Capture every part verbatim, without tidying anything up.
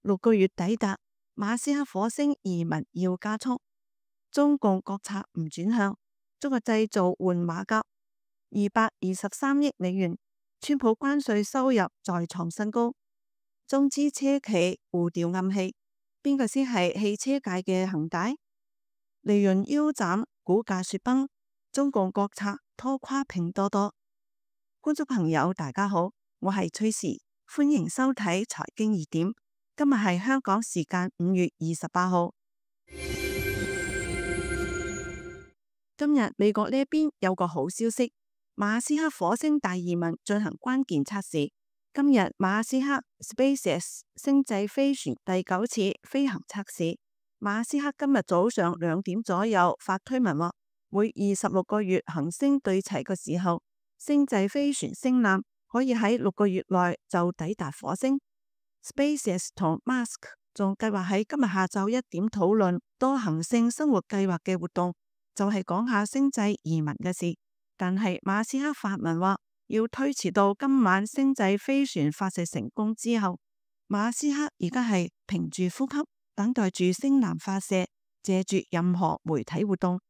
六個月抵達，馬斯克火星移民要加速。中共國策唔轉向，中國製造換馬甲，二百二十三億美元。川普關稅收入再創新高。中資車企互調暗器，邊個先係汽車界嘅恒大？利潤腰斬，股價雪崩。中共國策拖垮拼多多。觀眾朋友大家好，我係崔時，歡迎收睇財經熱點。今日係香港時間五月二十八號。今日美國呢一邊有個好消息，馬斯克火星大移民進行關鍵測試。今日馬斯克 SpaceX 星際飛船第九次飛行測試。馬斯克今日早上兩點左右發推文話，每二十六個月行星對齊嘅時候，星際飛船星艦可以喺六個月內就抵達火星。SpaceX 同 Musk 仲計劃喺今日下晝一點討論多行星生活計劃嘅活動，就係講下星際移民嘅事。但係馬斯克發文話要推遲到今晚星際飛船發射成功之後。馬斯克而家係屏住呼吸，等待住星艦發射，借住任何媒體活動。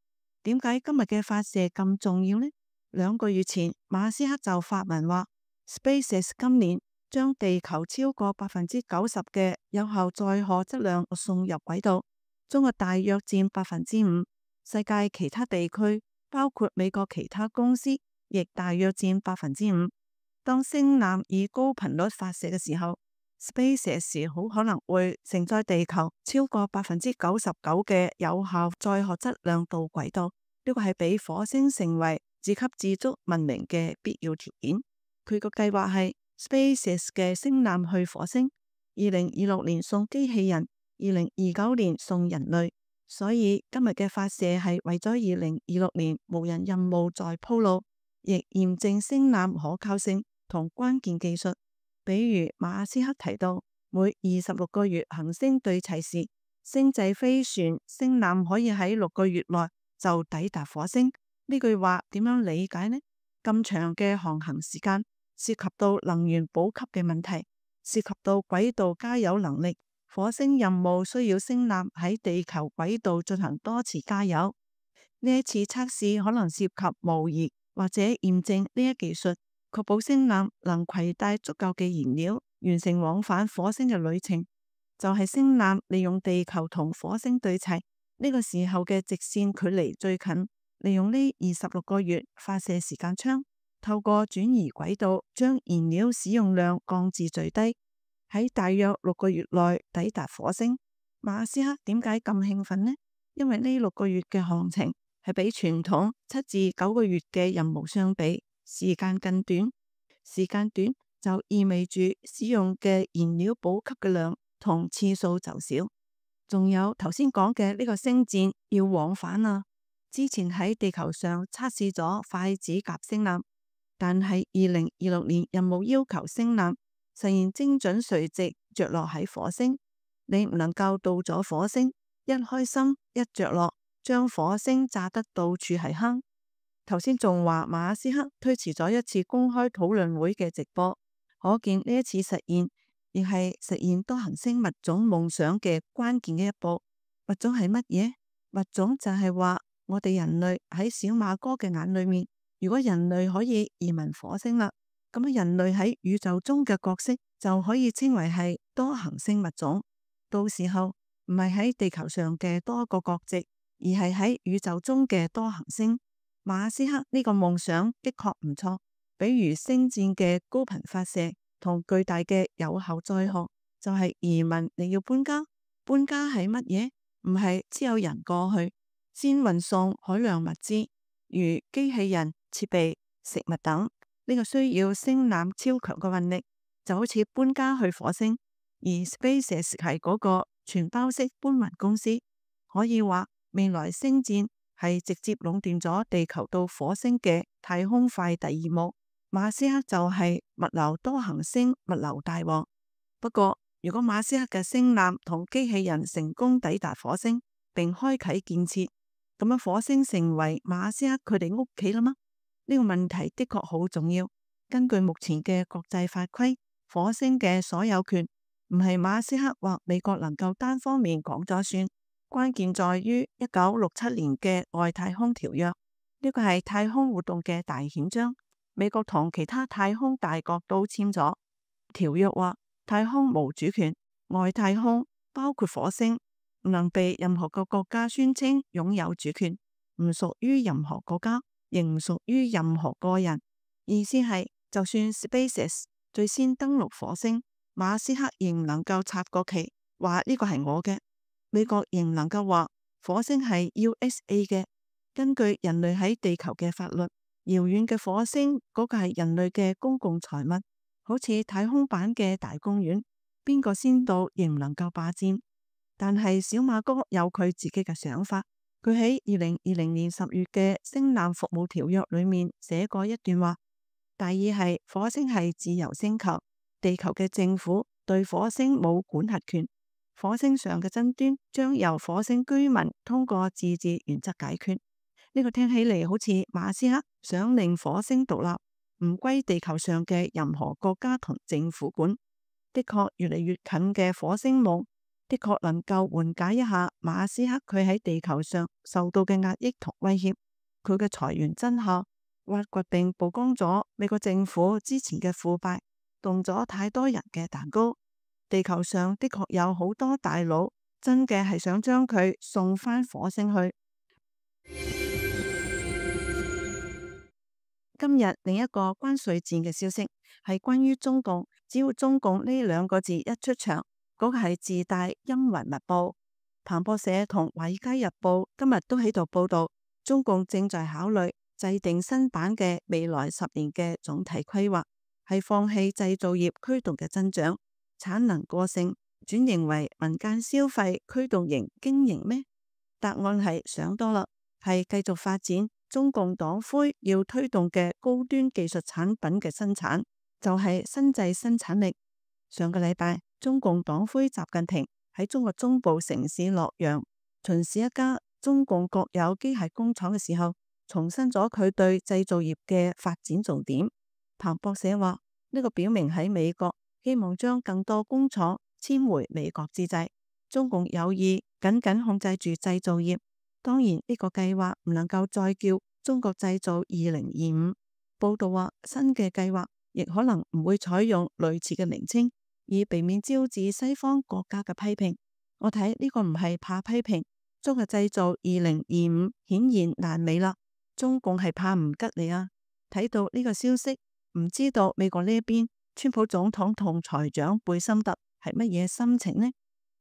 點解今日嘅發射咁重要呢？兩個月前馬斯克就發文話 SpaceX 今年將地球超過百分之九十嘅有效載荷質量送入軌道，中國大約佔百分之五，世界其他地區包括美國其他公司亦大約佔百分之五。當星艦以高頻率發射嘅時候，SpaceX 好可能會承載地球超過百分之九十九嘅有效載荷質量到軌道，呢個係俾火星成為自給自足文明嘅必要條件。佢個計劃係 SpaceX 嘅星艦去火星，二零二六年送機器人，二零二九年送人類。所以今日嘅發射係為咗二零二六年無人任務再鋪路，亦驗證星艦可靠性同關鍵技術。比如馬斯克提到，每二十六個月行星對齊時，星際飛船星艦可以喺六個月內就抵達火星。呢句話點樣理解呢？咁長嘅航行時間涉及到能源補給嘅問題，涉及到軌道加油能力。火星任務需要星艦喺地球軌道進行多次加油。呢一次測試可能涉及模擬或者驗證呢一技術，確保星艦能攜帶足夠嘅燃料，完成往返火星嘅旅程。就係星艦利用地球同火星對齊，呢個時候嘅直線距離最近，利用呢二十六個月發射時間長，透過轉移軌道，將燃料使用量降至最低，喺大約六個月內抵達火星。馬斯克點解咁興奮呢？因為呢六個月嘅航程係比傳統七至九個月嘅任務相比，時間更短。時間短就意味住使用嘅燃料補給嘅量同次數就少。仲有頭先講嘅呢個星艦要往返啊。之前喺地球上測試咗筷子夾星艦，但係二零二六年任務要求星艦實現精準垂直着落喺火星。你唔能夠到咗火星，一開心一着落，將火星炸得到處係坑。頭先仲話馬斯克推遲咗一次公開討論會嘅直播，可見呢一次實現亦係實現多行星物種夢想嘅關鍵嘅一步。物種係乜嘢？物種就係話我哋人類喺小馬哥嘅眼裏面，如果人類可以移民火星啦，咁人類喺宇宙中嘅角色就可以稱為係多行星物種。到時候唔係喺地球上嘅多個國籍，而係喺宇宙中嘅多行星。馬斯克呢個夢想的確唔錯，比如星戰嘅高頻發射同巨大嘅有效載荷，就係移民你要搬家。搬家係乜嘢？唔係只有人過去，先運送海量物資，如機器人、設備、食物等。呢個需要星艦超強嘅運力，就好似搬家去火星。而 SpaceX 係嗰個全包式搬運公司，可以話未來星戰係直接壟斷咗地球到火星嘅太空快遞業務。馬斯克就係物流多行星物流大王。不過如果馬斯克嘅星艦同機器人成功抵達火星並開啟建設，咁樣火星成為馬斯克佢哋屋企啦嗎？呢個問題的確好重要。根據目前嘅國際法規，火星嘅所有權唔係馬斯克或美國能夠單方面講咗算，關鍵在於一九六七年嘅外太空條約，呢個係太空活動嘅大憲章，美國同其他太空大國都簽咗條約，話太空無主權，外太空包括火星唔能被任何個國家宣稱擁有主權，唔屬於任何國家，亦唔屬於任何個人。意思係，就算 SpaceX 最先登陸火星，馬斯克仍能夠插個旗，話呢個係我嘅；美國仍能夠話火星係 U S A 嘅。根據人類喺地球嘅法律，遙遠嘅火星嗰個係人類嘅公共財物，好似太空版嘅大公園，邊個先到仍唔能夠霸佔。但係小馬哥有佢自己嘅想法，佢喺二零二零年十月嘅星艦服務條約裏面寫過一段話，大意係火星係自由星球，地球嘅政府對火星冇管轄權，火星上嘅爭端將由火星居民通過自治原則解決。呢個聽起嚟好似馬斯克想令火星獨立，唔歸地球上嘅任何國家同政府管。的確，越嚟越近嘅火星夢的確能夠緩解一下馬斯克佢喺地球上受到嘅壓抑同威脅。佢嘅財源真相挖掘並曝光咗美國政府之前嘅腐敗，動咗太多人嘅蛋糕。地球上的確有好多大佬真嘅係想將佢送返火星去。今日另一個關稅戰嘅消息係關於中共，只要中共呢兩個字一出場，嗰個係自帶陰雲密布。彭博社同華爾街日報今日都喺度報道，中共正在考慮制定新版嘅未來十年嘅總體規劃，係放棄製造業驅動嘅增長，產能過剩，轉型為民間消費驅動型經營咩？答案係想多啦，係繼續發展中共黨魁要推動嘅高端技術產品嘅生產，就係新製生產力。上個禮拜，中共黨魁習近平喺中國中部城市洛陽巡視一家中共國有機械工廠嘅時候，重申咗佢對製造業嘅發展重點。彭博社話，呢個表明喺美國希望將更多工廠遷回美國之際，中共有意緊緊控制住製造業。當然呢個計劃唔能夠再叫中國製造二零二五。報道話，新嘅計劃亦可能唔會採用類似嘅名稱，以避免招致西方國家嘅批評。我睇呢個唔係怕批評，中國製造二零二五顯然爛尾啦。中共係怕唔吉利啊！睇到呢個消息，唔知道美國呢一邊川普總統同財長貝森特係乜嘢心情呢？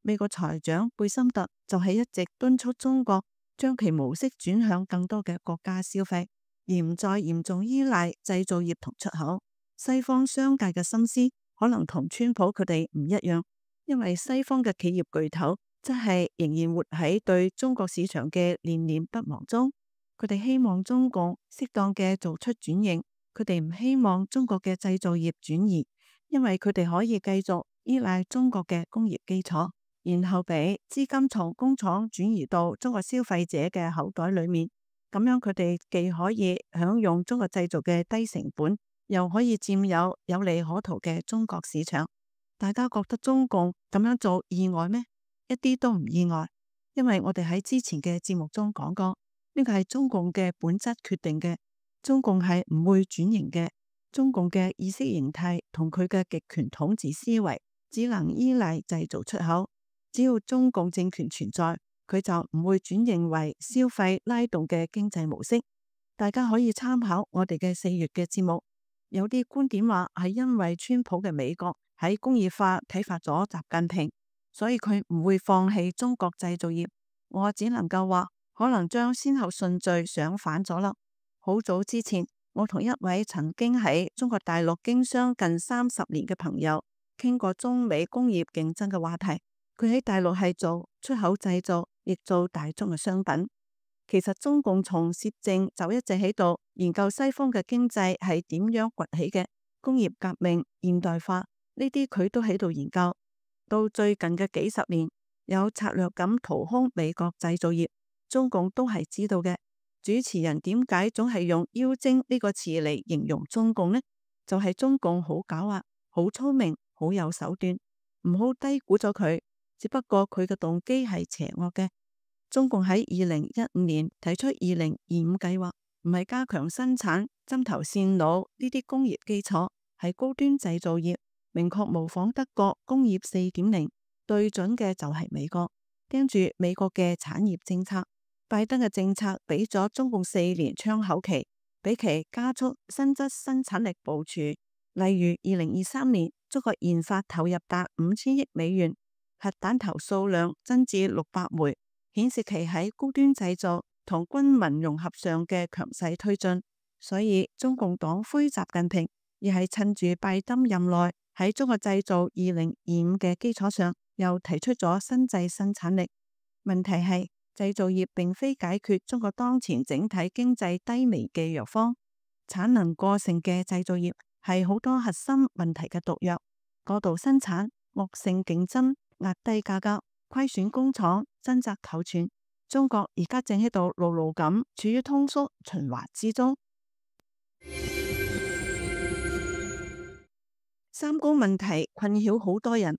美國財長貝森特就係一直敦促中國將其模式轉向更多嘅國家消費，而唔再嚴重依賴製造業同出口。西方商界嘅心思可能同川普佢哋唔一樣，因為西方嘅企業巨頭真係仍然活喺對中國市場嘅念念不忘中。佢哋希望中共適當嘅做出轉型，佢哋唔希望中國嘅製造業轉移，因為佢哋可以繼續依賴中國嘅工業基礎，然後俾資金從工廠轉移到中國消費者嘅口袋裏面，咁樣佢哋既可以享用中國製造嘅低成本，又可以佔有有利可圖嘅中國市場。大家覺得中共咁樣做意外咩？一啲都唔意外，因為我哋喺之前嘅節目中講過，呢個係中共嘅本質決定嘅，中共係唔會轉型嘅，中共嘅意識形態同佢嘅極權統治思維只能依賴製造出口。只要中共政權存在，佢就唔會轉型為消費拉動嘅經濟模式。大家可以參考我哋嘅四月嘅節目，有啲觀點話係因為川普嘅美國喺工業化啟發咗習近平，所以佢唔會放棄中國製造業。我只能夠話，可能將先後順序想反咗啦。好早之前，我同一位曾經喺中國大陸經商近三十年嘅朋友傾過中美工業競爭嘅話題。佢喺大陸係做出口製造，亦做大宗嘅商品。其實中共從攝政就一直喺度研究西方嘅經濟係點樣崛起嘅，工業革命、現代化呢啲佢都喺度研究。到最近嘅幾十年，有策略咁掏空美國製造業，中共都係知道嘅。主持人點解總係用妖精呢個詞嚟形容中共呢？就係中共好狡猾、好聰明、好有手段。唔好低估咗佢，只不過佢嘅動機係邪惡嘅。中共喺二零一五年提出二零二五計劃，唔係加強生產針頭線腦呢啲工業基礎，係高端製造業，明確模仿德國工業四點零，對準嘅就係美國，盯住美國嘅產業政策。拜登嘅政策俾咗中共四年窗口期，俾其加速新質生產力部署。例如二零二三年，中國研發投入達五千億美元，核彈頭數量增至六百枚，顯示其喺高端製造同軍民融合上嘅強勢推進。所以中共黨魁習近平亦係趁住拜登任內喺中國製造二零二五嘅基礎上，又提出咗新質生產力。問題係製造業並非解決中國當前整體經濟低迷嘅藥方，產能過剩嘅製造業係好多核心問題嘅毒藥。過度生產、惡性競爭、壓低價格、虧損工廠、掙扎求存，中國而家正喺度牢牢咁處於通縮循環之中。三高問題困擾好多人，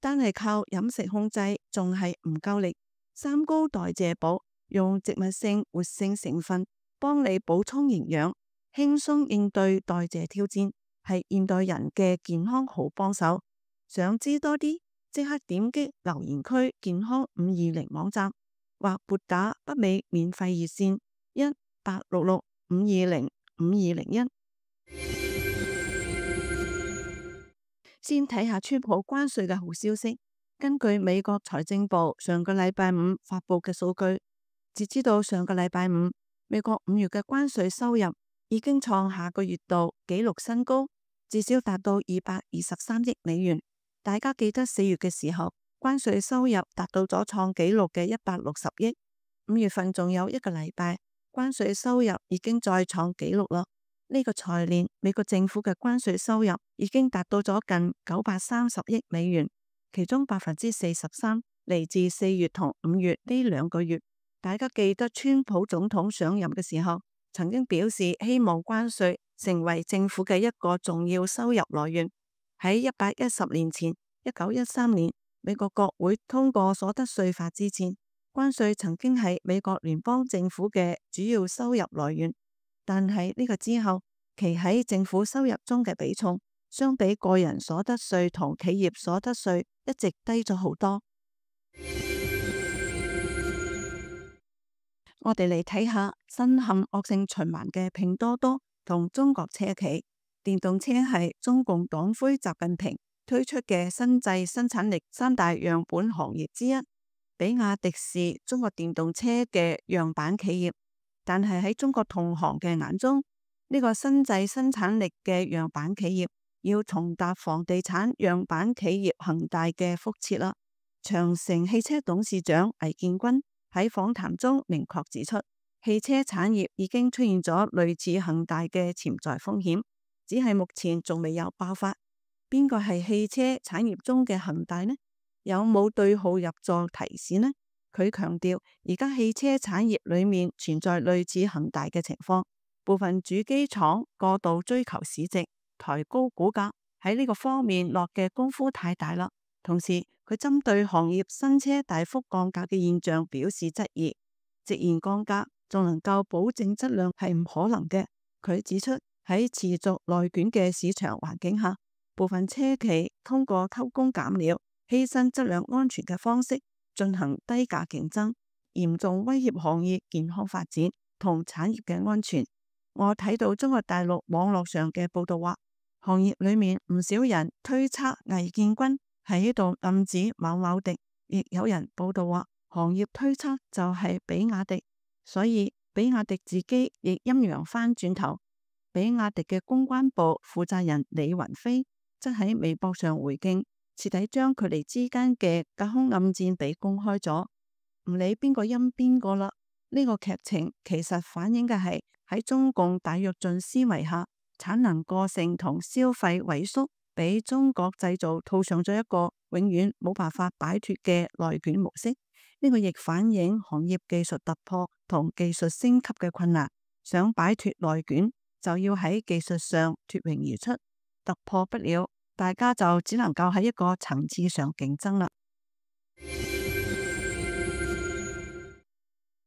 單係靠飲食控制仲係唔夠力。三高代謝補用植物性活性成分幫你補充營養，輕鬆應對代謝挑戰，係現代人嘅健康好幫手。想知多啲，即刻點擊留言區健康五二零網站，或撥打北美免費熱線一八六六五二零五二零一。先睇下川普關稅嘅好消息。根據美國財政部上個禮拜五發佈嘅數據，截至到上個禮拜五，美國五月嘅關稅收入已經創下個月度紀錄新高，至少達到二百二十三億美元。大家記得四月嘅時候，關稅收入達到咗創紀錄嘅一百六十億。五月份仲有一個禮拜，關稅收入已經再創紀錄啦。呢個財年，美國政府嘅關稅收入已經達到咗近九百三十億美元，其中百分之四十三嚟自四月同五月呢兩個月。大家記得川普總統上任嘅時候，曾經表示希望關稅成為政府嘅一個重要收入來源。喺一百一十年前，一九一三年，美國國會通過所得稅法之前，關稅曾經係美國聯邦政府嘅主要收入來源。但係呢個之後，其喺政府收入中嘅比重，相比個人所得稅同企業所得稅一直低咗好多。我哋嚟睇下深陷惡性循環嘅拼多多同中國車企。電動車係中共黨魁習近平推出嘅新質生產力三大樣本行業之一。比亞迪是中國電動車嘅樣板企業，但係喺中國同行嘅眼中，呢個新質生產力嘅樣板企業要重踏房地產樣板企業恒大嘅覆轍啦。長城汽車董事長魏建軍喺訪談中明確指出，汽車產業已經出現咗類似恒大嘅潛在風險，只係目前仲未有爆發。邊個係汽車產業中嘅恒大呢？有冇對號入座提示呢？佢強調，而家汽車產業裏面存在類似恒大嘅情況，部分主機廠過度追求市值，抬高股價，喺呢個方面落嘅功夫太大啦。同時，佢針對行業新車大幅降價嘅現象表示質疑，直言降價仲能夠保證質量係唔可能嘅。佢指出，喺持續內卷嘅市場環境下，部分車企通過偷工減料、犧牲質量安全嘅方式進行低價競爭，嚴重威脅行業健康發展同產業嘅安全。我睇到中國大陸網絡上嘅報道話，行業裏面唔少人推測魏建軍係喺度暗指某某迪，亦有人報道話行業推測就係比亞迪，所以比亞迪自己亦陰陽翻轉頭。比亞迪嘅公關部負責人李雲飛則喺微博上回敬，徹底將佢哋之間嘅隔空暗戰俾公開咗。唔理邊個陰邊個啦，呢個劇情其實反映嘅係喺中共大躍進思維下，產能過剩同消費萎縮，俾中國製造套上咗一個永遠冇辦法擺脫嘅內卷模式。呢個亦反映行業技術突破同技術升級嘅困難。想擺脫內卷，就要喺技術上脫穎而出，突破不了，大家就只能夠喺一個層次上競爭啦。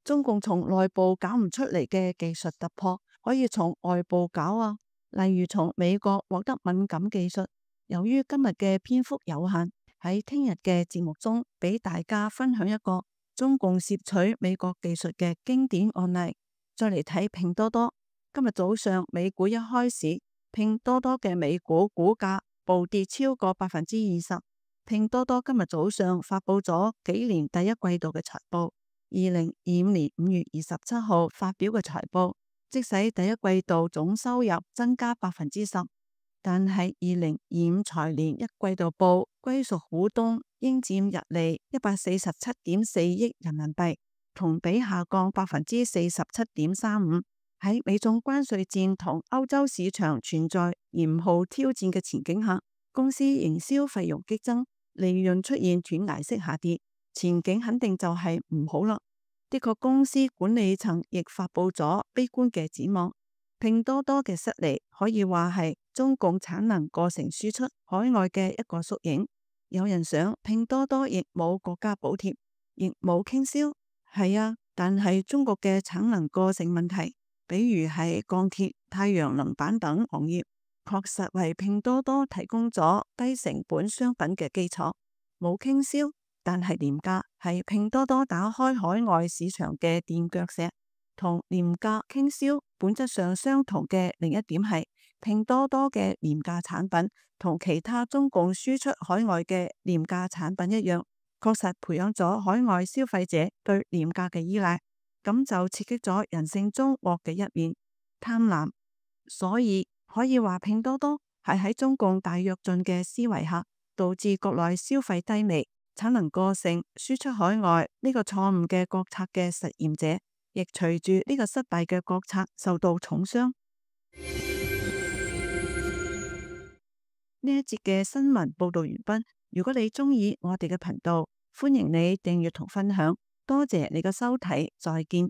中共從內部搞唔出嚟嘅技術突破，可以從外部搞啊。例如從美國獲得敏感技術。由於今日嘅篇幅有限，喺聽日嘅節目中俾大家分享一個中共攝取美國技術嘅經典案例。再嚟睇拼多多。今日早上美股一開市，拼多多嘅美股股價暴跌超過百分之二十。拼多多今日早上發佈咗幾年第一季度嘅財報，二零二五年五月二十七號發表嘅財報，即使第一季度總收入增加百分之十，但係二零二五財年一季度報歸屬股東應佔溢利一百四十七點四億人民幣，同比下降百分之四十七點三五。喺美中關稅戰同歐洲市場存在嚴酷挑戰嘅前景下，公司營銷費用激增，利潤出現斷崖式下跌，前景肯定就係唔好啦。的確，公司管理層亦發佈咗悲觀嘅展望。拼多多嘅失利可以話係中共產能過剩輸出海外嘅一個縮影。有人想拼多多亦冇國家補貼，亦冇傾銷，係啊，但係中國嘅產能過剩問題，比如係鋼鐵、太陽能板等行業，確實為拼多多提供咗低成本商品嘅基礎。冇傾銷，但係廉價係拼多多打開海外市場嘅墊腳石。同廉價傾銷本質上相同嘅另一點係，拼多多嘅廉價產品同其他中共輸出海外嘅廉價產品一樣，確實培養咗海外消費者對廉價嘅依賴，咁就刺激咗人性中惡嘅一面，貪婪。所以可以話拼多多係喺中共大躍進嘅思維下，導致國內消費低微、產能過剩、輸出海外呢個錯誤嘅國策嘅實驗者。亦隨住呢個失敗嘅國策受到重傷。呢一節嘅新聞報道完畢。如果你鍾意我哋嘅頻道，歡迎你訂閱同分享。多謝你嘅收睇，再見。